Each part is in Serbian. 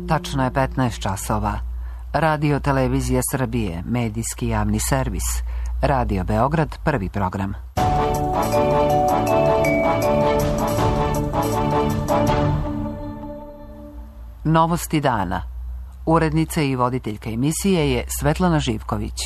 Tačno je 15 časova. Radio Televizija Srbije, medijski javni servis. Radio Beograd, prvi program. Novosti dana. Urednica i voditeljka emisije je Svetlana Živković.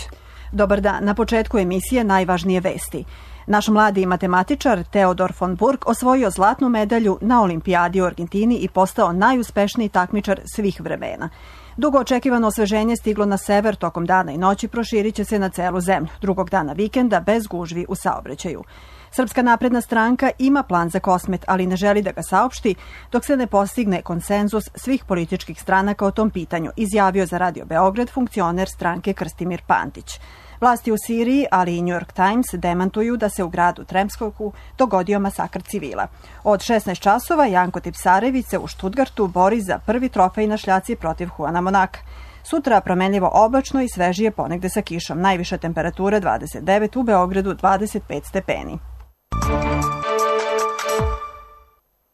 Dobar dan. Na početku emisije najvažnije vesti. Naš mladi matematičar Teodor von Burg osvojio zlatnu medalju na olimpijadi u Argentini i postao najuspešniji takmičar svih vremena. Dugo očekivano osveženje stiglo na sever tokom dana i noći, proširit će se na celu zemlju. Drugog dana vikenda bez gužvi u saobraćaju. Srpska napredna stranka ima plan za Kosmet, ali ne želi da ga saopšti dok se ne postigne konsenzus svih političkih stranaka o tom pitanju, izjavio za Radio Beograd funkcioner stranke Krstimir Pantić. Vlasti u Siriji, ali i New York Times demantuju da se u gradu Tremskoku dogodio masakr civila. Od 16 časova Janko Tipsarević se u Štutgartu bori za prvi trofej na šljaci protiv Juana Monaka. Sutra promenljivo oblačno i svežije, ponegde sa kišom. Najviša temperatura 29, u Beogradu 25 stepeni.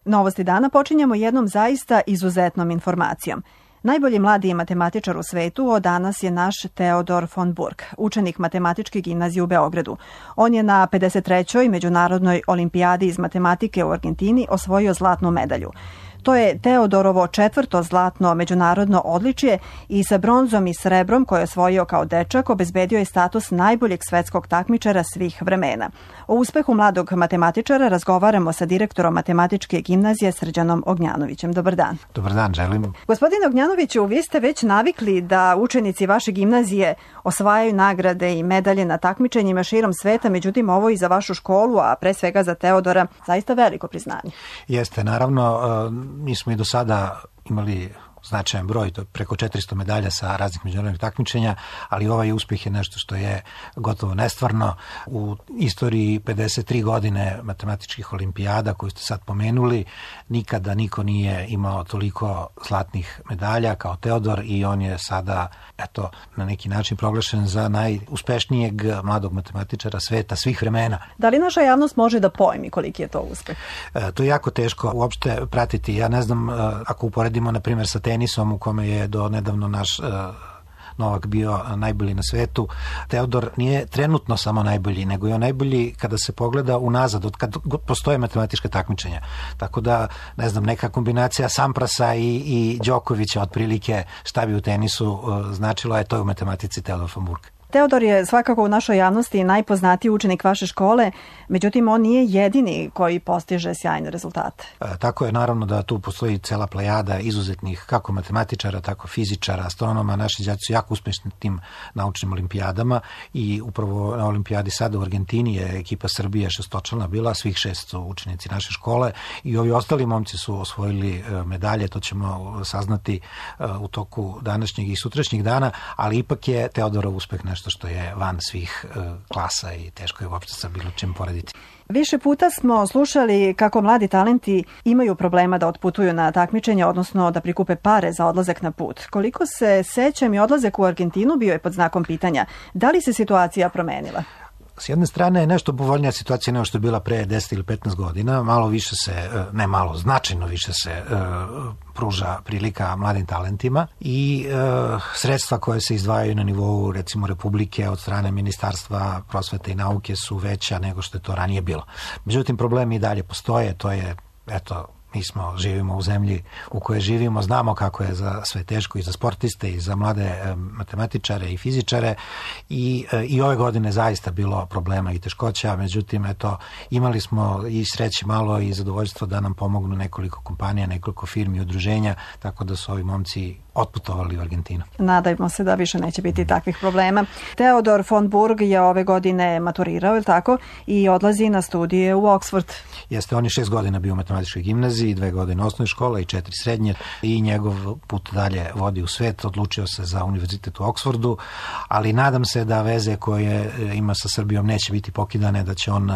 Novosti dana počinjemo jednom zaista izuzetnom informacijom. Najbolji mladi matematičar u svetu od danas je naš Teodor von Burg, učenik Matematičke gimnazije u Beogradu. On je na 53. međunarodnoj olimpijadi iz matematike u Argentini osvojio zlatnu medalju. To je Teodorovo 4. zlatno međunarodno odličje i sa bronzom i srebrom koje je osvojio kao dečak obezbedio je status najboljeg svetskog takmičara svih vremena. O uspehu mladog matematičara razgovaramo sa direktorom Matematičke gimnazije Srđanom Ognjanovićem. Dobar dan. Dobar dan, želim. Gospodine Ognjanoviću, vi ste već navikli da učenici vaše gimnazije osvajaju nagrade i medalje na takmičenjima širom sveta, međutim ovo i za vašu školu, a pre svega za Teodora, zaista veliko priznanje. Jeste, naravno, mi smo i do sada imali značajan broj, to preko 400 medalja sa raznih međunarodnih takmičenja, ali ovaj uspjeh je nešto što je gotovo nestvarno. U istoriji 53 godine matematičkih olimpijada koju ste sad pomenuli, nikada niko nije imao toliko zlatnih medalja kao Teodor i on je sada, eto, na neki način proglašen za najuspešnijeg mladog matematičara sveta svih vremena. Da li naša javnost može da pojmi koliki je to uspeh? To je jako teško uopšte pratiti. Ja ne znam, ako uporedimo, na primjer, sa tenisom u kome je do nedavno naš Novak bio najbolji na svetu. Teodor nije trenutno samo najbolji, nego je on najbolji kada se pogleda unazad, od kad postoje matematička takmičenja. Tako da, ne znam, neka kombinacija Samprasa i Đokovića otprilike šta bi u tenisu značilo, je to u matematici Teodor von Burg. Teodor je svakako u našoj javnosti najpoznatiji učenik vaše škole, međutim on nije jedini koji postiže sjajne rezultate. Tako je, naravno da tu postoji cela plejada izuzetnih kako matematičara, tako fizičara, astronoma. Naši đaci su jako uspješni tim naučnim olimpijadama i upravo na olimpijadi sada u Argentini je ekipa Srbije šestočlana bila, svih 6 su učenici naše škole i ovi ostali momci su osvojili medalje, to ćemo saznati u toku današnjeg i sutrašnjeg dana, ali ipak je Teodorov uspeh nešto što je van svih klasa i teško je uopšte sa bilo čim porediti. Više puta smo slušali kako mladi talenti imaju problema da otputuju na takmičenje, odnosno da prikupe pare za odlazak na put. Koliko se sećam, i odlazak u Argentinu bio je pod znakom pitanja. Da li se situacija promenila? S jedne strane je nešto povoljnija situacija nego što je bila pre 10 ili 15 godina. Malo više se, ne malo, značajno više se pruža prilika mladim talentima i sredstva koje se izdvajaju na nivou, recimo, Republike od strane Ministarstva prosvete i nauke su veća nego što je to ranije bilo. Međutim, problemi i dalje postoje, to je, eto, živimo u zemlji u kojoj živimo, znamo kako je za sve teško i za sportiste i za mlade matematičare i fizičare i ove godine zaista bilo problema i teškoća, međutim, eto, imali smo i sreće malo i zadovoljstvo da nam pomognu nekoliko kompanija, nekoliko firmi i udruženja, tako da su ovi momci otputovali u Argentinu. Nadajmo se da više neće biti takvih problema. Teodor von Burg je ove godine maturirao, ili tako, i odlazi na studije u Oxford. Jeste, on je 6 godina bio u matematičkoj gimnaziji, 2 godine osnovne škole i 4 srednje i njegov put dalje vodi u svet. Odlučio se za univerzitet u Oxfordu, ali nadam se da veze koje ima sa Srbijom neće biti pokidane, da će on,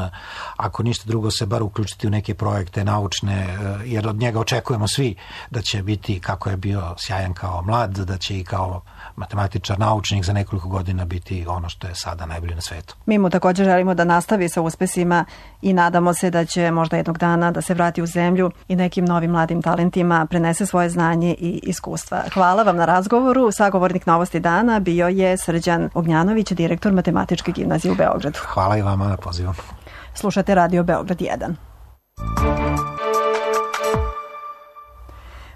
ako ništa drugo, se bar uključiti u neke projekte naučne, jer od njega očekujemo svi da će biti, kako je bio sjajan kao kao mlad, da će i kao matematičar, naučnik za nekoliko godina biti ono što je sada najbolje na svetu. Mi mu također želimo da nastavi sa uspesima i nadamo se da će možda jednog dana da se vrati u zemlju i nekim novim mladim talentima prenese svoje znanje i iskustva. Hvala vam na razgovoru. Sagovornik Novosti dana bio je Srđan Ognjanović, direktor Matematičke gimnazije u Beogradu. Hvala i vama na pozivu. Slušate Radio Beograd 1.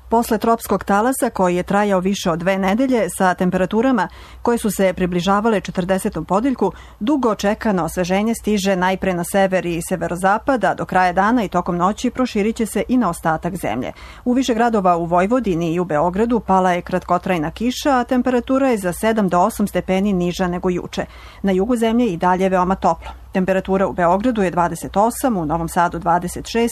Posle tropskog talasa koji je trajao više od 2 nedelje sa temperaturama koje su se približavale 40. podeljku, dugo čekano osveženje stiže najpre na sever i severozapad, a do kraja dana i tokom noći proširit će se i na ostatak zemlje. U više gradova u Vojvodini i u Beogradu pala je kratkotrajna kiša, a temperatura je za 7 do 8 stepeni niža nego juče. Na jugu zemlje i dalje veoma toplo. Temperatura u Beogradu je 28, u Novom Sadu 26,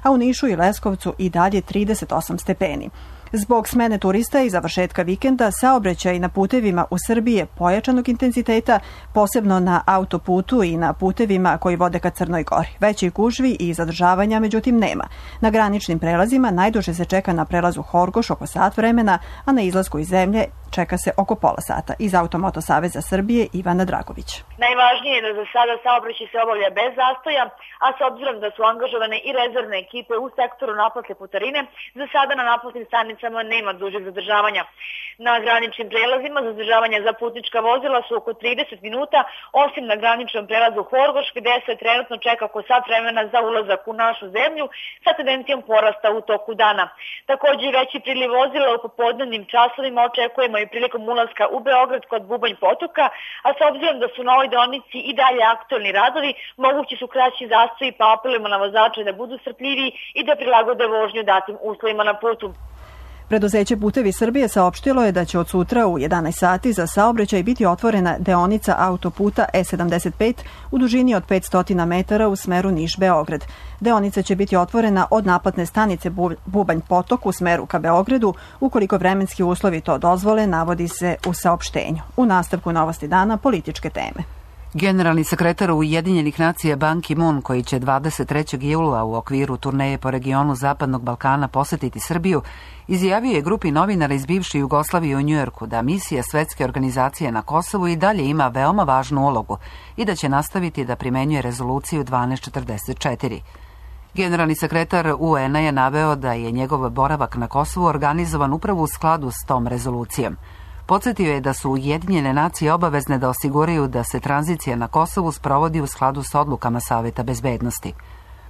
a u Nišu i Leskovcu i dalje 38 stepeni. Zbog smene turista i završetka vikenda, saobraćaj na putevima u Srbiji je pojačanog intenziteta, posebno na autoputu i na putevima koji vode ka Crnoj Gori. Većih gužvi i zadržavanja međutim nema. Na graničnim prelazima najduže se čeka na prelazu Horgoš oko sat vremena, a na izlasku iz zemlje čeka se oko pola sata. Iz Automoto Saveza Srbije Ivana Dragović. Najvažnije je da za sada saobraćaj se obavlja bez zastoja, a s obzirom da su angažovane i rezervne ekipe u sektoru naplate putarine, za sada na naplatnim stanicama nema dužeg zadržavanja. Na graničnim prelazima zadržavanja za putnička vozila su oko 30 minuta, osim na graničnom prelazu Horgoš, gde se trenutno čeka oko sat vremena za ulazak u našu zemlju sa tendencijom porasta u toku dana. Također veći priliv vozila u popodnevnim časovima očekujemo i prilikom ulaska u Beograd kod Bubanj potoka, a s obzirom da su na ovoj deonici i dalje aktualni radovi, mogući su kraći zastoji, pa apelujemo na vozače da budu strpljivi i da prilagode vožnju datim uslovima na putu. Preduzeće Putevi Srbije saopštilo je da će od sutra u 11 sati za saobraćaj biti otvorena deonica autoputa E75 u dužini od 500 metara u smeru Niš-Beograd. Deonica će biti otvorena od naplatne stanice Bubanj potok u smeru ka Beogradu, ukoliko vremenski uslovi to dozvole, navodi se u saopštenju. U nastavku Novosti dana političke teme. Generalni sekretar Ujedinjenih nacija Ban Ki-moon, koji će 23. jula u okviru turneje po regionu Zapadnog Balkana posetiti Srbiju, izjavio je grupi novinara iz bivše Jugoslavije u Njujorku da misija Svetske organizacije na Kosovu i dalje ima veoma važnu ulogu i da će nastaviti da primenjuje rezoluciju 1244. Generalni sekretar UN-a je naveo da je njegov boravak na Kosovu organizovan upravo u skladu s tom rezolucijom. Podsjetio je da su Ujedinjene nacije obavezne da osiguraju da se tranzicija na Kosovu sprovodi u skladu s odlukama Saveta bezbednosti.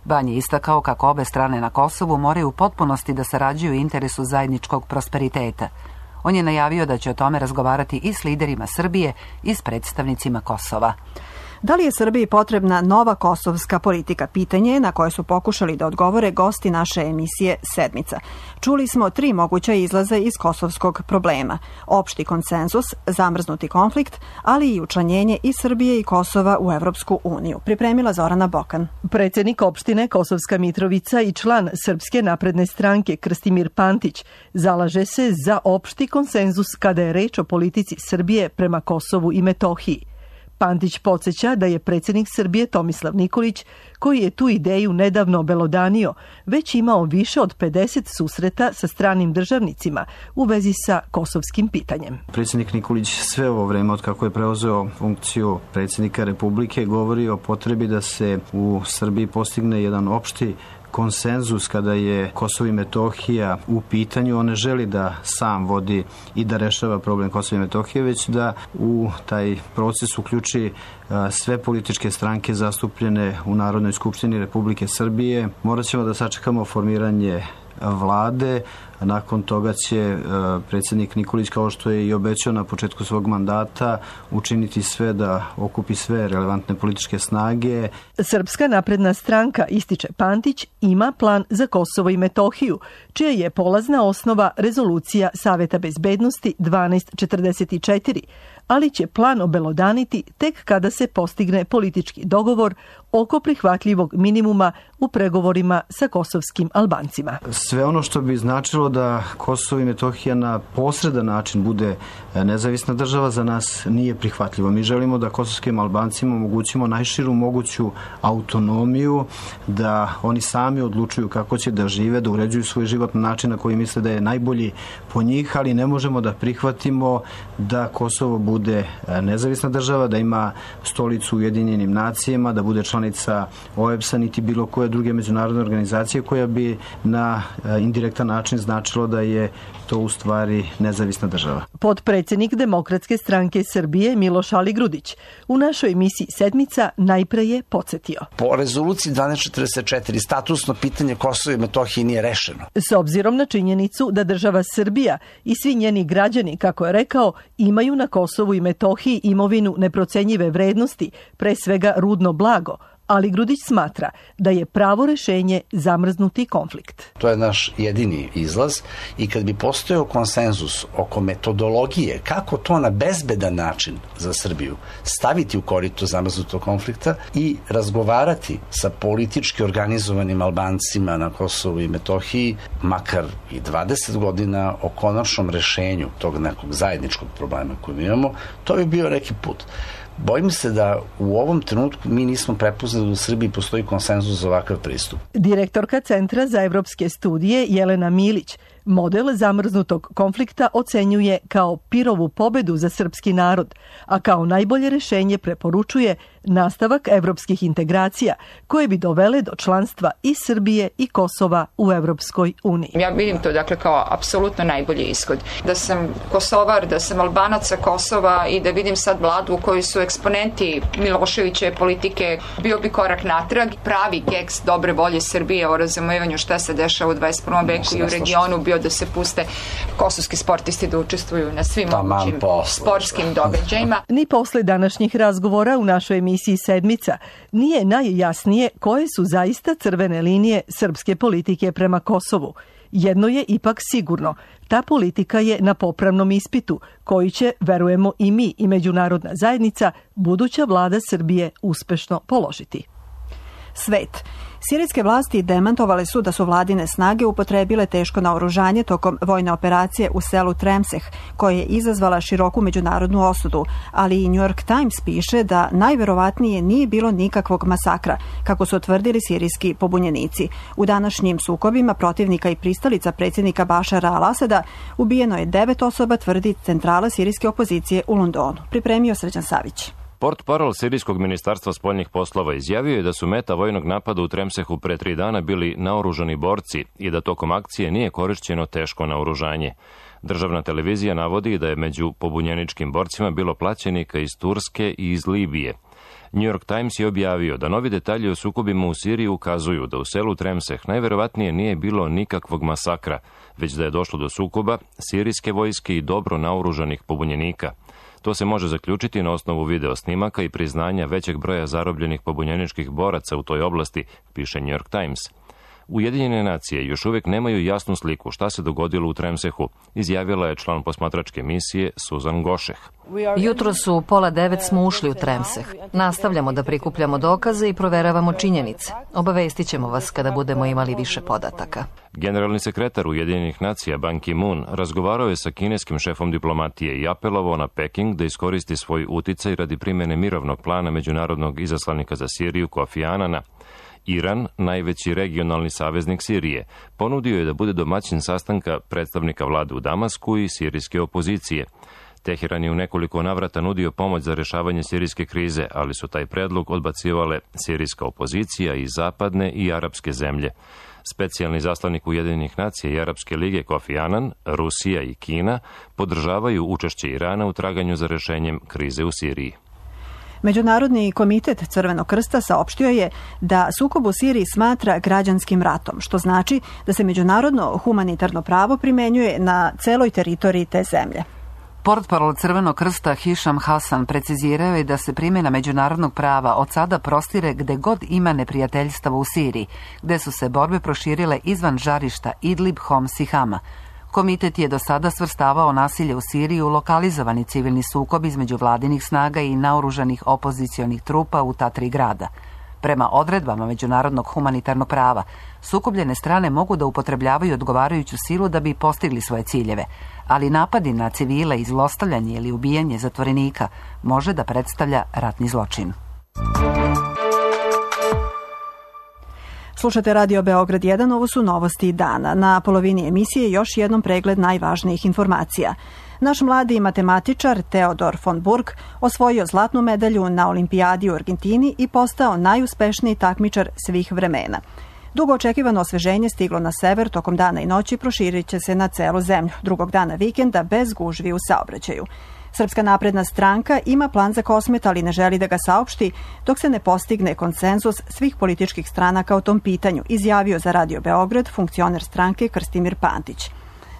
Ban je istakao kako obe strane na Kosovu moraju u potpunosti da sarađuju u interesu zajedničkog prosperiteta. On je najavio da će o tome razgovarati i s liderima Srbije i s predstavnicima Kosova. Da li je Srbiji potrebna nova kosovska politika? Pitanje je na koje su pokušali da odgovore gosti naše emisije Sedmica. Čuli smo 3 moguća izlaza iz kosovskog problema. Opšti konsenzus, zamrznuti konflikt, ali i učlanjenje i Srbije i Kosova u Evropsku uniju. Pripremila Zorana Bokan. Predsjednik opštine Kosovska Mitrovica i član Srpske napredne stranke Krstimir Pantić zalaže se za opšti konsenzus kada je reč o politici Srbije prema Kosovu i Metohiji. Pantić podsjeća da je predsjednik Srbije Tomislav Nikolić, koji je tu ideju nedavno obelodanio, već imao više od 50 susreta sa stranim državnicima u vezi sa kosovskim pitanjem. Predsjednik Nikolić sve ovo vreme od kako je preuzeo funkciju predsjednika Republike govori o potrebi da se u Srbiji postigne jedan opšti konsenzus kada je Kosovo i Metohija u pitanju. On ne želi da sam vodi i da rešava problem Kosova i Metohije, već da u taj proces uključi sve političke stranke zastupljene u Narodnoj skupštini Republike Srbije. Morat ćemo da sačekamo formiranje vlade, a nakon toga će predsjednik Nikolić, kao što je i obećao na početku svog mandata, učiniti sve da okupi sve relevantne političke snage. Srpska napredna stranka, ističe Pantić, ima plan za Kosovo i Metohiju, čija je polazna osnova rezolucija Saveta bezbednosti 1244, ali će plan obelodaniti tek kada se postigne politički dogovor oko prihvatljivog minimuma u pregovorima sa kosovskim Albancima. Sve ono što bi značilo da Kosovo i Metohija na posredan način bude nezavisna država za nas nije prihvatljivo. Mi želimo da kosovskim Albancima omogućimo najširu moguću autonomiju, da oni sami odlučuju kako će da žive, da uređuju svoj život na način na koji misle da je najbolji po njih, ali ne možemo da prihvatimo da Kosovo bude nezavisna država, da ima stolicu u Ujedinjenim nacijama, da bude članica OEBS-a niti bilo koje druge međunarodne organizacije koja bi na indirektan način značilo da je to u stvari nezavisna država. Potpredsjednik Demokratske stranke Srbije Miloš Aligrudić u našoj emisiji Sedmica najpre je podsjetio. Po rezoluciji 1244 statusno pitanje Kosova i Metohije nije rešeno. S obzirom na činjenicu da država Srbija i svi njeni građani, kako je rekao, imaju na Kosovu i Metohiji imovinu neprocenjive vrednosti, pre svega rudno blago, ali Grudić smatra da je pravo rešenje zamrznuti konflikt. To je naš jedini izlaz i kad bi postojao konsenzus oko metodologije kako to na bezbedan način za Srbiju staviti u korito zamrznutog konflikta i razgovarati sa politički organizovanim Albancima na Kosovu i Metohiji, makar i 20 godina o konačnom rešenju tog nekog zajedničkog problema koji mi imamo, to bi bio neki put. Bojim se da u ovom trenutku mi nismo prepoznali da u Srbiji postoji konsenzus za ovakav pristup. Direktorka Centra za evropske studije Jelena Milić model zamrznutog konflikta ocenjuje kao Pirovu pobedu za srpski narod, a kao najbolje rešenje preporučuje nastavak evropskih integracija koje bi dovele do članstva i Srbije i Kosova u Evropskoj uniji. Ja vidim to kao apsolutno najbolji ishod. Da sam Kosovar, da sam Albanac sa Kosova i da vidim sad vladu u kojoj su eksponenti Miloševićeve politike, bio bi korak natrag. Pravi geks dobre volje Srbije o razumevanju šta se dešava u 21. veku i u regionu bio da se puste kosovski sportisti da učestvuju na svim mogućim sportskim događajima. Ni posle današnjih razgovora u našoj emisiji Sedmica nije najjasnije koje su zaista crvene linije srpske politike prema Kosovu. Jedno je ipak sigurno, ta politika je na popravnom ispitu, koji će, verujemo i mi i međunarodna zajednica, buduća vlada Srbije uspešno položiti. Svet. Sirijske vlasti demantovale su da su vladine snage upotrebile teško naoružanje tokom vojne operacije u selu Tremseh, koja je izazvala široku međunarodnu osudu, ali i New York Times piše da najverovatnije nije bilo nikakvog masakra, kako su otvrdili sirijski pobunjenici. U današnjim sukobima protivnika i pristalica predsjednika Bašara al-Asada ubijeno je 9 osoba, tvrdi centrala sirijske opozicije u Londonu. Pripremio Srđan Savić. Portparol sirijskog ministarstva spoljnih poslova izjavio je da su meta vojnog napada u Tremsehu pre 3 dana bili naoružani borci i da tokom akcije nije korišćeno teško naoružanje. Državna televizija navodi da je među pobunjeničkim borcima bilo plaćenika iz Turske i iz Libije. New York Times je objavio da novi detalji o sukobima u Siriji ukazuju da u selu Tremseh najverovatnije nije bilo nikakvog masakra, već da je došlo do sukoba sirijske vojske i dobro naoružanih pobunjenika. To se može zaključiti na osnovu video snimaka i priznanja većeg broja zarobljenih pobunjeničkih boraca u toj oblasti, piše New York Times. Ujedinjene nacije još uvijek nemaju jasnu sliku šta se dogodilo u Tremsehu, izjavila je član posmatračke misije Suzan Gošeh. Jutro su u 8:30 smo ušli u Tremseh. Nastavljamo da prikupljamo dokaze i proveravamo činjenice. Obavestit ćemo vas kada budemo imali više podataka. Generalni sekretar Ujedinjenih nacija Ban Ki-moon razgovarao je sa kineskim šefom diplomatije i apelovao na Peking da iskoristi svoj uticaj radi primjene mirovnog plana međunarodnog izaslanika za Siriju Kofi Anana. Iran, najveći regionalni saveznik Sirije, ponudio je da bude domaćin sastanka predstavnika vlade u Damasku i sirijske opozicije. Teheran je u nekoliko navrata nudio pomoć za rješavanje sirijske krize, ali su taj predlog odbacivale sirijska opozicija i zapadne i arapske zemlje. Specijalni zaslanik Ujedinjenih nacija i Arapske lige Kofi Anan, Rusija i Kina podržavaju učešće Irana u traganju za rješenjem krize u Siriji. Međunarodni komitet Crvenog krsta saopštio je da sukob u Siriji smatra građanskim ratom, što znači da se međunarodno humanitarno pravo primenjuje na celoj teritoriji te zemlje. Portparol Crvenog krsta Hišam Hasan precizirao je da se primjena međunarodnog prava od sada prostire gde god ima neprijateljstava u Siriji, gde su se borbe proširile izvan žarišta Idlib, Homs i Hama. Komitet je do sada svrstavao nasilje u Siriji u lokalizovani civilni sukob između vladinih snaga i naoružanih opozicionih trupa u ta 3 grada. Prema odredbama međunarodnog humanitarnog prava, sukobljene strane mogu da upotrebljavaju odgovarajuću silu da bi postigli svoje ciljeve, ali napadi na civile i zlostavljanje ili ubijanje zatvorenika može da predstavlja ratni zločin. Slušate Radio Beograd 1, ovo su novosti dana. Na polovini emisije još jednom pregled najvažnijih informacija. Naš mladi matematičar Teodor von Burg osvojio zlatnu medalju na olimpijadi u Argentini i postao najuspešniji takmičar svih vremena. Dugo očekivano osveženje stiglo na sever tokom dana i noći, proširit će se na celu zemlju. Drugog dana vikenda bez gužvi u saobraćaju. Srpska napredna stranka ima plan za Kosmet, ali ne želi da ga saopšti dok se ne postigne konsenzus svih političkih stranaka o tom pitanju, izjavio za Radio Beograd funkcioner stranke Krstimir Pantić.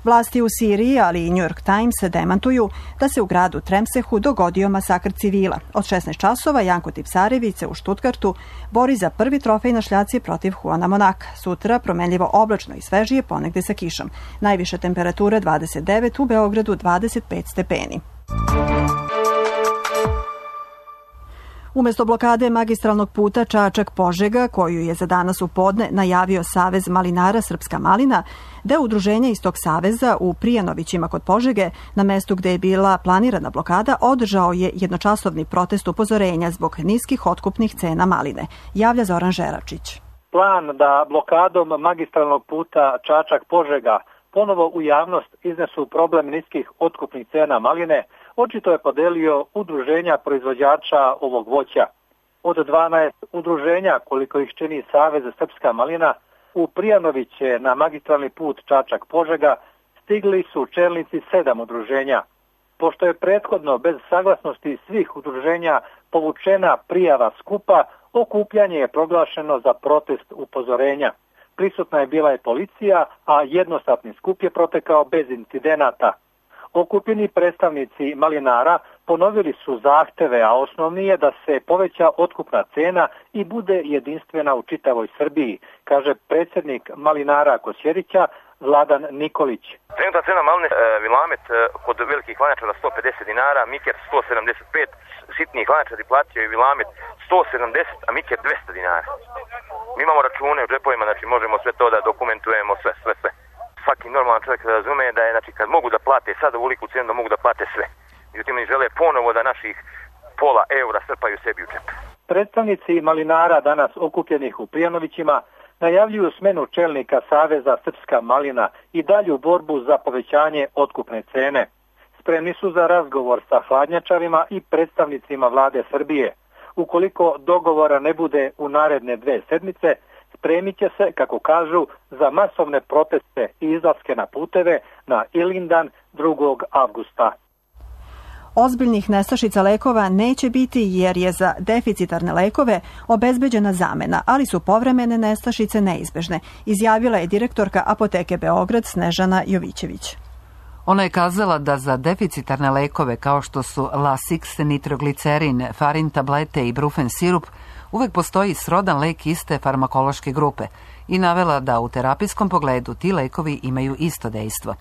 Vlasti u Siriji, ali i New York Times demantuju da se u gradu Tremsehu dogodio masakr civila. Od 16 časova Janko Tipsarević se u Štutgartu bori za prvi trofej na šljaci protiv Juana Monaka. Sutra promenljivo oblačno i svežije, ponegde sa kišom. Najviša temperatura 29, u Beogradu 25 stepeni. Umesto blokade magistralnog puta Čačak-Požega, koju je za danas u podne najavio Savez malinara Srpska malina, deo udruženja iz tog saveza u Prijanovićima kod Požege, na mestu gde je bila planirana blokada, održao je jednočasovni protest upozorenja zbog niskih otkupnih cena maline, javlja Zoran Žeračić. Plan da blokadom magistralnog puta Čačak-Požega ponovo u javnost iznesu problem niskih otkupnih cena maline, očito je podelio udruženja proizvođača ovog voća. Od 12 udruženja, koliko ih čini Savez Srpska malina, u Prijanoviće na magistralni put Čačak-Požega stigli su čelnici 7 udruženja. Pošto je prethodno bez saglasnosti svih udruženja povučena prijava skupa, okupljanje je proglašeno za protest upozorenja. Prisutna je bila i policija, a jednostavni skup je protekao bez incidenata. Okupljeni predstavnici malinara ponovili su zahteve, a osnovni je da se poveća otkupna cena i bude jedinstvena u čitavoj Srbiji, kaže predsjednik malinara Kosjerića Vladan Nikolić. Trenutna cena maline Vilamet kod velikih lanačara 150 dinara, Miker 175, sitnijih lanačari plaćaju Vilamet 170, a Miker 200 dinara. Mi imamo račune u džepovima, znači možemo sve to da dokumentujemo, sve. Svaki normalan čovjek razume da je, znači, kad mogu da plate sad ovoliku cenu, da mogu da plate sve. Međutim, oni žele ponovo da naših pola eura strpaju sebi u džep. Predstavnici malinara danas okupljenih u Prijanovićima najavljuju smenu čelnika Saveza Srpska malina i dalju borbu za povećanje otkupne cene. Spremni su za razgovor sa hladnjačarima i predstavnicima vlade Srbije. Ukoliko dogovora ne bude u naredne 2 sedmice, spremit će se, kako kažu, za masovne proteste i izlaske na puteve na Ilindan 2. avgusta. Ozbiljnih nestašica lekova neće biti jer je za deficitarne lekove obezbeđena zamena, ali su povremene nestašice neizbežne, izjavila je direktorka Apoteke Beograd Snežana Jovićević. Ona je kazala da za deficitarne lekove kao što su Lasix, nitroglicerin, farin tablete i brufen sirup uvek postoji srodan lek iste farmakološke grupe i navela da u terapijskom pogledu ti lekovi imaju isto dejstvo.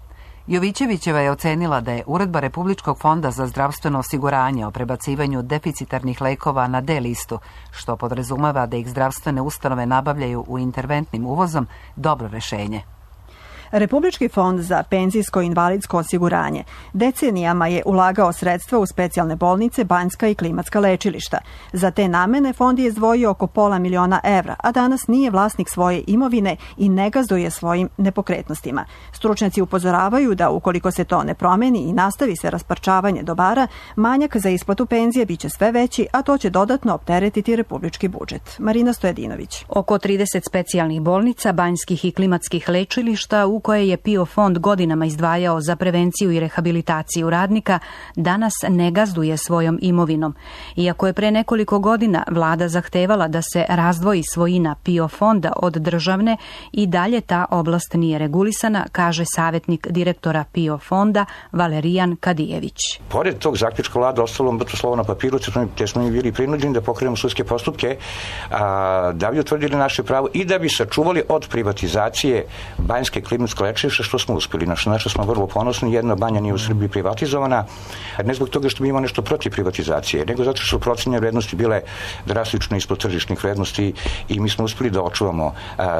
Jovićevićeva je ocenila da je Uredba Republičkog fonda za zdravstveno osiguranje o prebacivanju deficitarnih lekova na D listu, što podrazumeva da ih zdravstvene ustanove nabavljaju u interventnim uvozom, dobro rešenje. Republički fond za penzijsko i invalidsko osiguranje decenijama je ulagao sredstva u specijalne bolnice, banjska i klimatska lečilišta. Za te namene fond je izdvojio oko $500.000 evra, a danas nije vlasnik svoje imovine i ne gazduje svojim nepokretnostima. Stručnjaci upozoravaju da ukoliko se to ne promeni i nastavi se rasparčavanje dobara, manjak za isplatu penzije biće sve veći, a to će dodatno opteretiti republički budžet. Marina Stojedinović. Oko 30 specijalnih bolnica, banjskih i klimatskih lečilišta u koje je PIO fond godinama izdvajao za prevenciju i rehabilitaciju radnika, danas ne gazduje svojom imovinom. Iako je pre nekoliko godina vlada zahtevala da se razdvoji svojina PIO fonda od državne, i dalje ta oblast nije regulisana, kaže savjetnik direktora PIO fonda Valerijan Kadijević. Pored tog zaključka vlada ostalo mrtvo slovo na papiru, te smo mi bili prinuđeni da pokrenemo sudske postupke, da bi utvrdili naše pravo i da bi sačuvali od privatizacije banjske klimatske ekonomsko lečilište, što smo uspjeli. Znači smo vrlo ponosni, jedna banja nije u Srbiji privatizovana, ne zbog toga što mi imamo nešto protiv privatizacije, nego zato što su procenjene vrednosti bile drastično ispod tržišnih vrednosti i mi smo uspjeli da očuvamo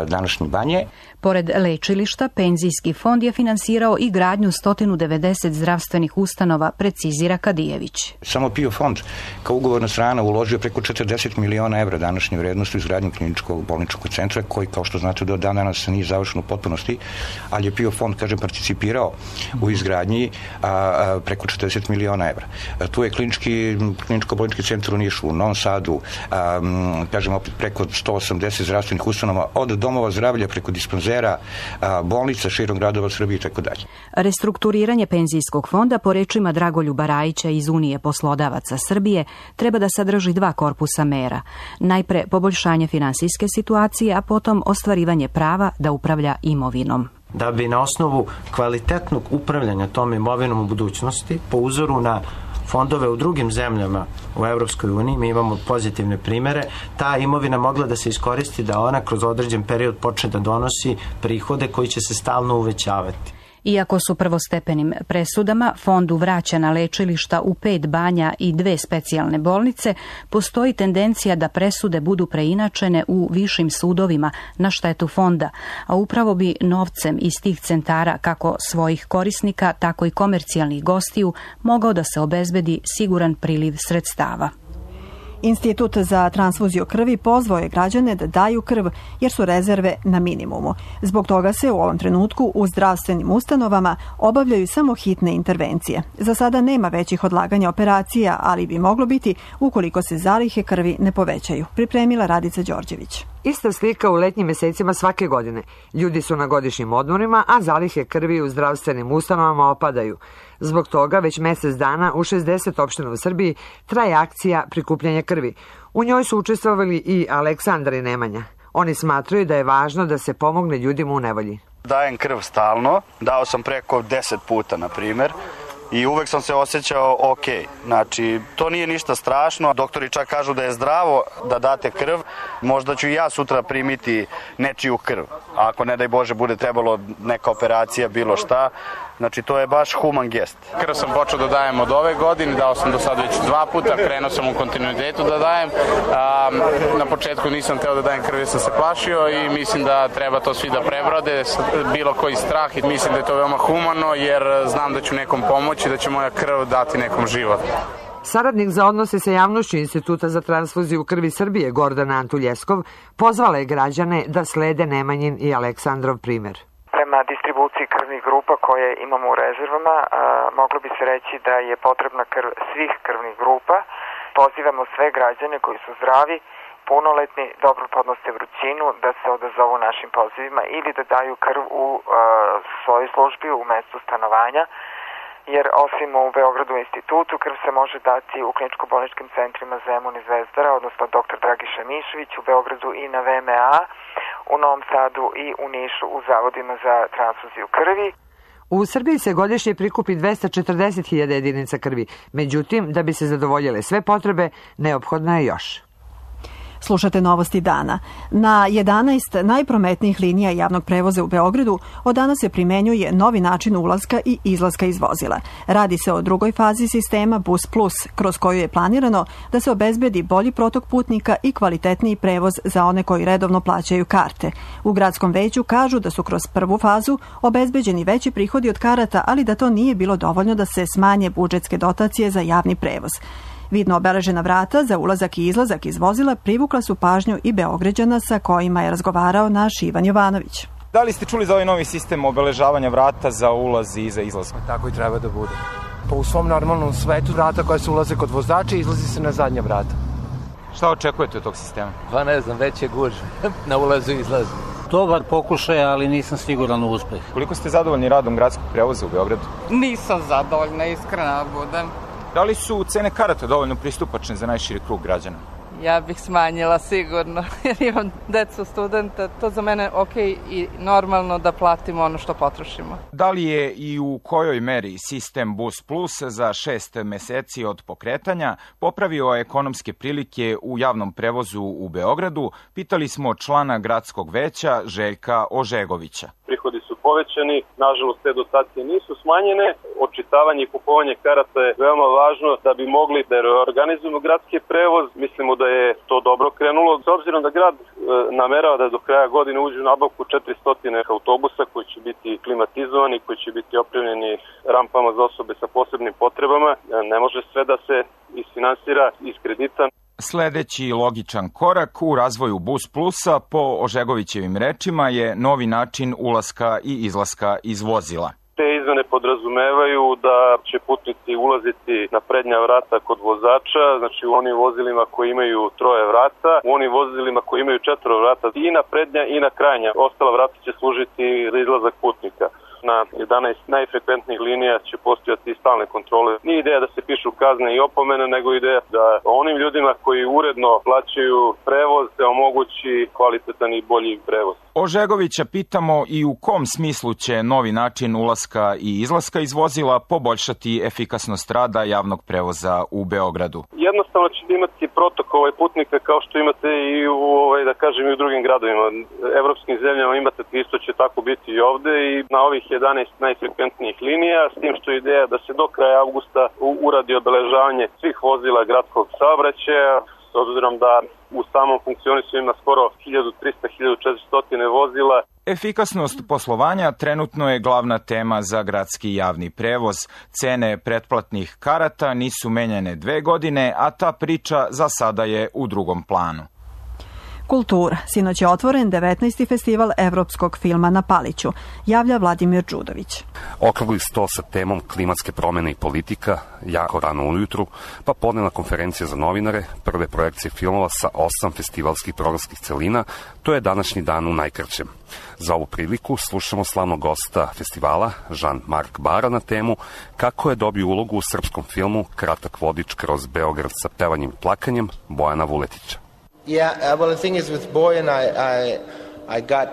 današnje banje. Pored lečilišta, penzijski fond je finansirao i gradnju 190 zdravstvenih ustanova, precizira Kadijević. Samo PIO fond kao ugovorna strana uložio preko 40 miliona evra današnje vrednosti u izgradnju kliničkog bolničkog centra, koji, kao što znate, do danas nije završen u potpunosti, ali je PIO fond, kažem, participirao u izgradnji preko 40 miliona evra. Tu je kliničko-bolnički centar u Nišu, u Novom Sadu, kažem, opet preko 180 zdravstvenih ustanova, od domova zdravlja preko dispanzera, bolnica širom gradova Srbije i tako dalje. Restrukturiranje penzijskog fonda, po rečima Dragoljuba Rajića iz Unije poslodavaca Srbije, treba da sadrži 2 korpusa mera. Najpre poboljšanje finansijske situacije, a potom ostvarivanje prava da upravlja imovinom. Da bi na osnovu kvalitetnog upravljanja tom imovinom u budućnosti, po uzoru na fondove u drugim zemljama u Evropskoj uniji, mi imamo pozitivne primere, ta imovina mogla da se iskoristi da ona kroz određen period počne da donosi prihode koji će se stalno uvećavati. Iako su prvostepenim presudama fondu vraćana lečilišta u 5 banja i 2 specijalne bolnice, postoji tendencija da presude budu preinačene u višim sudovima na štetu fonda, a upravo bi novcem iz tih centara, kako svojih korisnika, tako i komercijalnih gostiju, mogao da se obezbedi siguran priliv sredstava. Institut za transfuziju krvi pozvao je građane da daju krv jer su rezerve na minimumu. Zbog toga se u ovom trenutku u zdravstvenim ustanovama obavljaju samo hitne intervencije. Za sada nema većih odlaganja operacija, ali bi moglo biti ukoliko se zalihe krvi ne povećaju. Pripremila Radica Đorđević. Ista slika u letnjim mesecima svake godine. Ljudi su na godišnjim odmorima, a zalihe krvi u zdravstvenim ustanovama opadaju. Zbog toga već mesec dana u 60 opština u Srbiji traje akcija prikupljanja krvi. U njoj su učestvovali i Aleksandar i Nemanja. Oni smatraju da je važno da se pomogne ljudima u nevolji. Dajem krv stalno, dao sam preko 10 puta, na primjer. I uvek sam se osjećao ok. Znači, to nije ništa strašno. Doktori čak kažu da je zdravo da date krv. Možda ću i ja sutra primiti nečiju krv. A ako, ne daj Bože, bude trebalo neka operacija, bilo šta. Znači, to je baš human gest. Krv sam počeo da dajem od ove godine, dao sam do sad već 2 puta, krenuo sam u kontinuitetu da dajem. Na početku nisam teo da dajem krv, jer sam se plašio i mislim da treba to svi da prebrode, bilo koji strah, i mislim da je to veoma humano, jer znam da ću nekom pomoći, da će moja krv dati nekom život. Saradnik za odnose sa javnošću Instituta za transfuziju krvi Srbije, Gordana Antuljeskov, pozvala je građane da slede Nemanjin i Aleksandrov primer. Prema distribuciji krvnih grupa koje imamo u rezervama, moglo bi se reći da je potrebna krv svih krvnih grupa. Pozivamo sve građane koji su zdravi, punoletni, dobro podnose vrućinu, da se odazovu našim pozivima ili da daju krv u svojoj službi u mestu stanovanja, jer osim u Beogradu institutu, krv se može dati u kliničko-bolničkim centrima Zemun i Zvezdara, odnosno dr. Dragiša Mišević, u Beogradu i na VMA, u Novom Sadu i u Nišu u zavodima za transfuziju krvi. U Srbiji se godišnje prikupi 240.000 jedinica krvi, međutim, da bi se zadovoljile sve potrebe, neophodno je još. Slušate Novosti dana. Na 11 najprometnijih linija javnog prevoza u Beogradu od danas se primenjuje novi način ulaska i izlaska iz vozila. Radi se o drugoj fazi sistema Bus Plus, kroz koju je planirano da se obezbedi bolji protok putnika i kvalitetniji prevoz za one koji redovno plaćaju karte. U gradskom veću kažu da su kroz prvu fazu obezbeđeni veći prihodi od karata, ali da to nije bilo dovoljno da se smanje budžetske dotacije za javni prevoz. Vidno obeležena vrata za ulazak i izlazak iz vozila privukla su pažnju i Beograđana sa kojima je razgovarao naš Ivan Jovanović. Da li ste čuli za ovaj novi sistem obeležavanja vrata za ulaz i za izlaz? Tako i treba da bude. Pa u svom normalnom svetu vrata koja se ulaze kod vozača izlazi se na zadnja vrata. Šta očekujete od tog sistema? Pa ne znam, već je gužve na ulazu i izlazu. Dobar pokušaj, ali nisam siguran u uspeh. Koliko ste zadovoljni radom gradskog prevoza u Beogradu? Nisam zadovoljna, iskreno budem. Da li su cene karata dovoljno pristupačne za najširi krug građana? Ja bih smanjila sigurno, jer imam decu, studenta. To za mene ok i normalno da platimo ono što potrošimo. Da li je i u kojoj meri sistem Bus Plus za 6 meseci od pokretanja popravio ekonomske prilike u javnom prevozu u Beogradu? Pitali smo člana gradskog veća Željka Ožegovića. Prihodi su povećani, nažalost te dotacije nisu smanjene. Očitavanje i kupovanje karata je veoma važno da bi mogli da reorganizujemo gradski prevoz. Mislimo da je to dobro krenulo. S obzirom da grad namerava da do kraja godine uđe u nabavku 400 autobusa koji će biti klimatizovani, koji će biti opremljeni rampama za osobe sa posebnim potrebama, ne može sve da se isfinansira iz kredita. Sledeći logičan korak u razvoju Bus Plusa, po Ožegovićevim rečima, je novi način ulaska i izlaska iz vozila. Te izmene podrazumevaju da će putnici ulaziti na prednja vrata kod vozača, znači u onim vozilima koji imaju 3 vrata, u onim vozilima koji imaju 4 vrata i na prednja i na krajnja. Ostala vrata će služiti za izlazak putnika. Na 11 najfrekventnijih linija će postojati stalne kontrole. Nije ideja da se pišu kazne i opomene, nego ideja da onim ljudima koji uredno plaćaju prevoz se omogući kvalitetan i bolji prevoz. Ožegovića pitamo i u kom smislu će novi način ulaska i izlaska iz vozila poboljšati efikasnost rada javnog prevoza u Beogradu. Jednostavno ćete imati protok putnika kao što imate i u drugim gradovima. Evropskim zemljama imate isto će tako biti i ovde i na ovih 11 najfrekventnijih linija, s tim što je ideja da se do kraja avgusta uradi obeležavanje svih vozila gradskog saobraćaja, s obzirom da u samom funkcionisu ima skoro 1300-1400 vozila. Efikasnost poslovanja trenutno je glavna tema za gradski javni prevoz. Cene pretplatnih karata nisu menjane 2 godine, a ta priča za sada je u drugom planu. Kultura. Sinoć je otvoren 19. festival evropskog filma na Paliću, javlja Vladimir Đudović. Okrugli sto sa temom klimatske promene i politika, jako rano ujutru, pa podnevna konferencija za novinare, prve projekcije filmova sa 8 festivalskih programskih celina, to je današnji dan u najkraćem. Za ovu priliku slušamo slavnog gosta festivala, Jean-Marc Bara, na temu kako je dobio ulogu u srpskom filmu Kratak vodič kroz Beograd sa pevanjem i plakanjem Bojana Vuletića.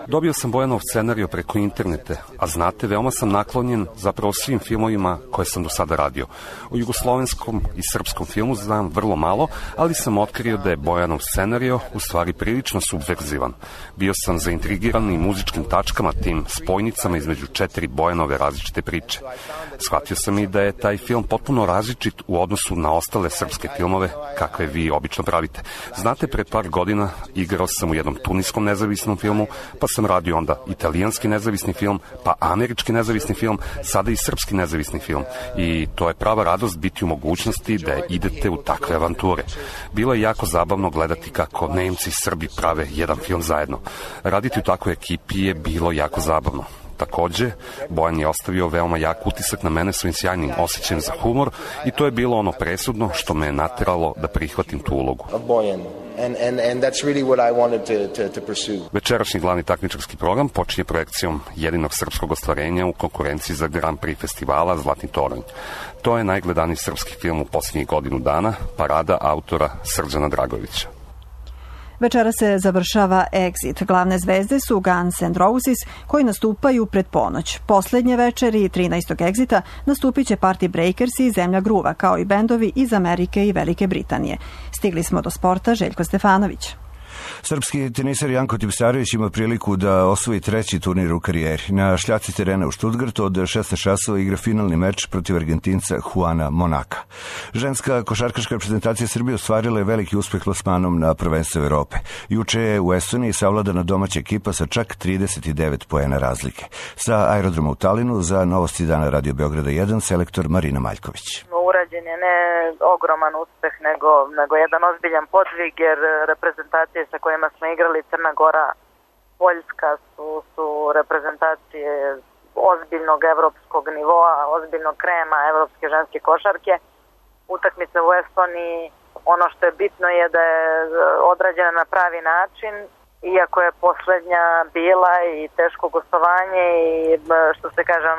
Dobio sam Bojanov scenarijo preko interneta, a znate, veoma sam naklonjen zapravo svim filmovima koje sam do sada radio. O jugoslovenskom i srpskom filmu znam vrlo malo, ali sam otkrio da je Bojanov scenarijo u stvari prilično subverzivan. Bio sam zaintrigiran i muzičkim tačkama, tim spojnicama između 4 Bojanove različite priče. Shvatio sam i da je taj film potpuno različit u odnosu na ostale srpske filmove kakve vi obično pravite. Znate, pre par godina igrao sam u jednom tuniskom nezavisnom filmu, pa sam radio onda italijanski nezavisni film, pa američki nezavisni film, sada i srpski nezavisni film. I to je prava radost biti u mogućnosti da idete u takve avanture. Bilo je jako zabavno gledati kako Nemci i Srbi prave jedan film zajedno. Raditi u takvoj ekipi je bilo jako zabavno. Takođe, Bojan je ostavio veoma jak utisak na mene svojim sjajnim osjećajem za humor i to je bilo ono presudno što me je nateralo da prihvatim tu ulogu. Večerašnji glavni takmičarski program počinje projekcijom jedinog srpskog ostvarenja u konkurenciji za Grand Prix festivala Zlatni toranj. To je najgledaniji srpski film u posljednjih godinu dana, parada autora Srđana Dragovića. Večera se završava Exit. Glavne zvezde su Guns N' Roses, koji nastupaju pred ponoć. Poslednje večeri 13. Exita nastupit će Party Breakers i Zemlja gruva, kao i bendovi iz Amerike i Velike Britanije. Stigli smo do sporta, Željko Stefanović. Srpski teniser Janko Tipsarević ima priliku da osvoji 3. turnir u karijeri. Na šljaci terena u Stuttgartu od 16 časova igra finalni meč protiv Argentinca Juana Monaka. Ženska košarkaška reprezentacija Srbije ostvarila je veliki uspeh plasmanom na prvenstvu Evrope. Juče je u Estoniji savladana domaća ekipa sa čak 39 poena razlike. Sa aerodroma u Talinu za Novosti dana Radio Beograda 1 selektor Marina Maljković. Urađen je ne ogroman uspeh, nego jedan ozbiljan podvig, jer reprezentacije sa kojima smo igrali, Crna Gora, Poljska, su reprezentacije ozbiljnog evropskog nivoa, ozbiljnog krema evropske ženske košarke. Utakmica u Estoniji, ono što je bitno je da je odrađena na pravi način, iako je poslednja bila i teško gostovanje i što se kaže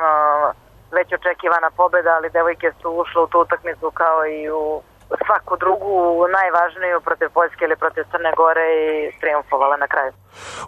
već očekivana pobeda, ali devojke su ušle u tu utakmicu kao i u svaku drugu najvažniju protiv Poljske ili protiv Crne Gore i triumfovala na kraju.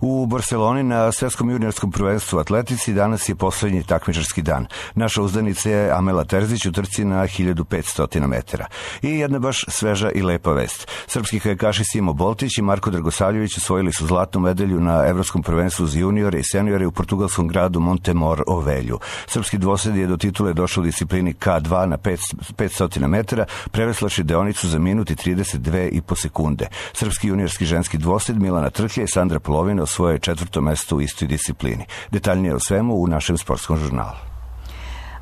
U Barceloni na svetskom juniorskom prvenstvu atletici danas je poslednji takmičarski dan. Naša uzdanica je Amela Terzić u trci na 1500 metara. I jedna baš sveža i lepa vest. Srpski kajakaši Simo Boltić i Marko Dragosavljević osvojili su zlatnu medalju na evropskom prvenstvu za juniore i seniore u portugalskom gradu Montemor Ovelju. Srpski dvosed je do titule došao u disciplini K2 na 500 metara, preveslaši deonicu za minut i 32,5 sekunde. Srpski juniorski ženski dvosed Milana Trhlja i Sandra Polovina osvoje 4. mesto u istoj disciplini. Detaljnije o svemu u našem sportskom žurnalu.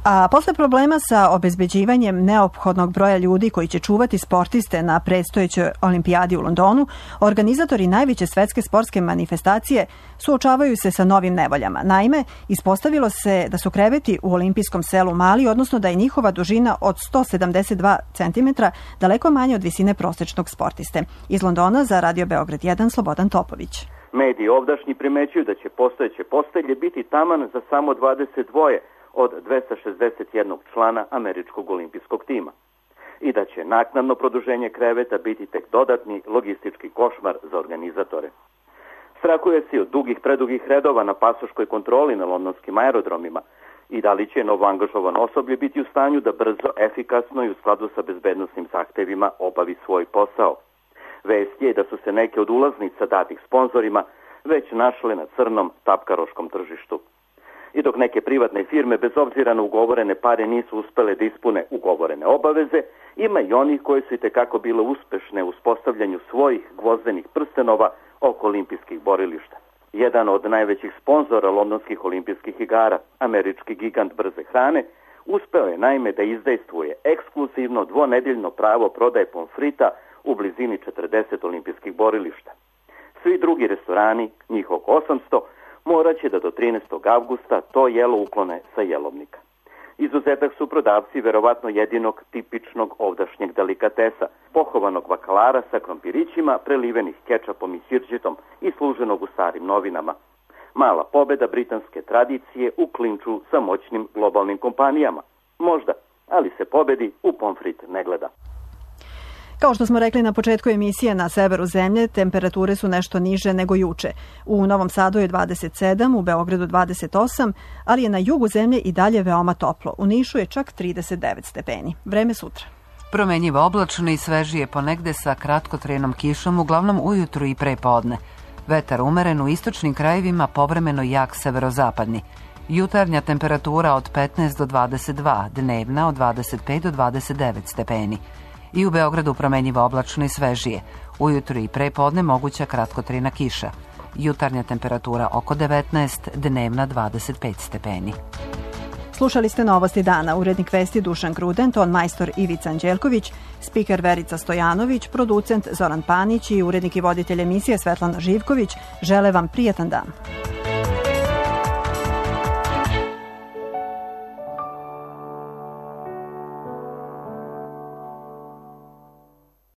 A posle problema sa obezbeđivanjem neophodnog broja ljudi koji će čuvati sportiste na predstojećoj olimpijadi u Londonu, organizatori najveće svetske sportske manifestacije suočavaju se sa novim nevoljama. Naime, ispostavilo se da su kreveti u olimpijskom selu mali, odnosno da je njihova dužina od 172 cm daleko manje od visine prosečnog sportiste. Iz Londona za Radio Beograd 1 Slobodan Topović. Mediji ovdašnji primećuju da će postojeće postelje biti taman za samo 22 od 261 člana američkog olimpijskog tima i da će naknadno produženje kreveta biti tek dodatni logistički košmar za organizatore. Strahuje se od predugih redova na pasoškoj kontroli na londonskim aerodromima i da li će novoangažovano osoblje biti u stanju da brzo, efikasno i u skladu sa bezbednosnim zahtevima obavi svoj posao. Vest je da su se neke od ulaznica datih sponzorima već našle na crnom tapkaroškom tržištu. I dok neke privatne firme bez obzira na ugovorene pare nisu uspele da ispune ugovorene obaveze, ima i onih koji su itekako bile uspešne u uspostavljanju svojih gvozdenih prstenova oko olimpijskih borilišta. Jedan od najvećih sponzora londonskih olimpijskih igara, američki gigant brze hrane, uspeo je naime da izdejstvuje ekskluzivno dvonedeljno pravo prodaje pomfrita u blizini 40 olimpijskih borilišta. Svi drugi restorani, njih oko 800, morat će da do 13. avgusta to jelo uklone sa jelovnika. Izuzetak su prodavci verovatno jedinog tipičnog ovdašnjeg delikatesa, pohovanog bakalara sa krompirićima, prelivenih kečapom i sirđetom i služenog u starim novinama. Mala pobeda britanske tradicije u klinču sa moćnim globalnim kompanijama. Možda, ali se pobedi u pomfrit ne gleda. Kao što smo rekli na početku emisije, na severu zemlje temperature su nešto niže nego juče. U Novom Sadu je 27, u Beogradu 28, ali je na jugu zemlje i dalje veoma toplo. U Nišu je čak 39 stepeni. Vreme sutra. Promenjivo oblačno i svežije ponegde sa kratkotrenom kišom, uglavnom ujutru i pre podne. Vetar umeren u istočnim krajevima, povremeno jak severozapadni. Jutarnja temperatura od 15 do 22, dnevna od 25 do 29 stepeni. I u Beogradu promenjivo oblačno i svežije. Ujutru i pre podne moguća kratkotrena kiša. Jutarnja temperatura oko 19, dnevna 25 stepeni. Slušali ste Novosti dana, urednik vesti Dušan Gruden, ton majstor Ivica Anđelković, spiker Verica Stojanović, producent Zoran Panić i urednik i voditelj emisije Svetlana Živković. Žele vam prijatan dan.